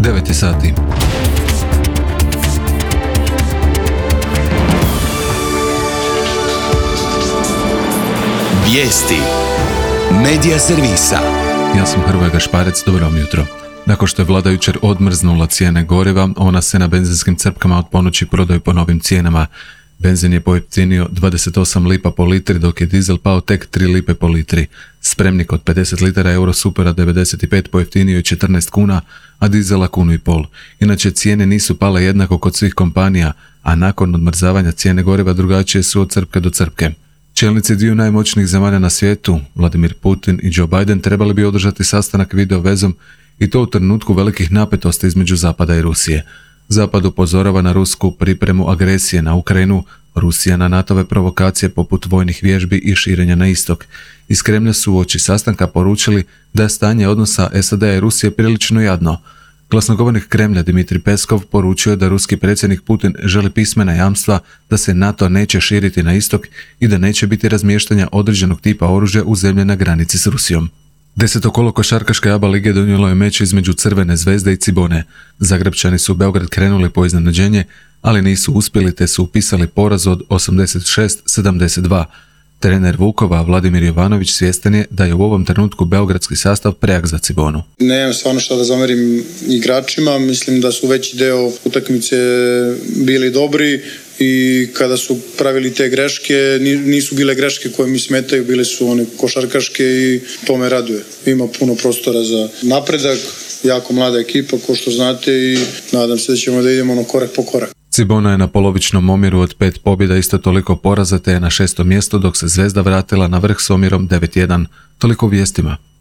9 sati. Vijesti Medija servisa. Ja sam Hrvoje Gašparec, dobro vam jutro. Nakon što je vlada jučer odmrznula cijene goriva, ona se na benzinskim crpkama od ponoći prodaju po novim cijenama. Benzin je pojeftinio 28 lipa po litri, dok je dizel pao tek 3 lipe po litri. Spremnik od 50 litara Eurosupera 95 pojeftinio je 14 kuna, a dizela 1,5 kunu. Inače, cijene nisu pale jednako kod svih kompanija, a nakon odmrzavanja cijene goriva drugačije su od crpke do crpke. Čelnici dviju najmoćnijih zemalja na svijetu, Vladimir Putin i Joe Biden, trebali bi održati sastanak video vezom i to u trenutku velikih napetosti između Zapada i Rusije. Zapad upozorava na rusku pripremu agresije na Ukrajinu, Rusija na NATO-ve provokacije poput vojnih vježbi i širenja na istok. Iz Kremlja su uoči sastanka poručili da je stanje odnosa SAD-a i Rusije prilično jadno. Glasnogovornik Kremlja Dmitrij Peskov poručio je da ruski predsjednik Putin želi pismena jamstva da se NATO neće širiti na istok i da neće biti razmještanja određenog tipa oružja u zemlje na granici s Rusijom. 10. kolo košarkaške ABA lige donijelo je meč između Crvene zvezde i Cibone. Zagrebčani su u Beograd krenuli po iznenađenje, ali nisu uspjeli te su upisali poraz od 86-72. Trener Vukova, Vladimir Jovanović, svjestan je da je u ovom trenutku beogradski sastav prejak za Cibonu. Nemam stvarno šta da zamerim igračima, mislim da su veći deo utakmice bili dobri i kada su pravili te greške, nisu bile greške koje mi smetaju, bile su one košarkaške i to me raduje. Ima puno prostora za napredak, jako mlada ekipa, ko što znate, i nadam se da ćemo da idemo korak po korak. Cibona je na polovičnom omjeru od 5 pobjeda, isto toliko poraza, te je na 6. mjestu, dok se Zvezda vratila na vrh s omjerom 9-1. Toliko u vijestima.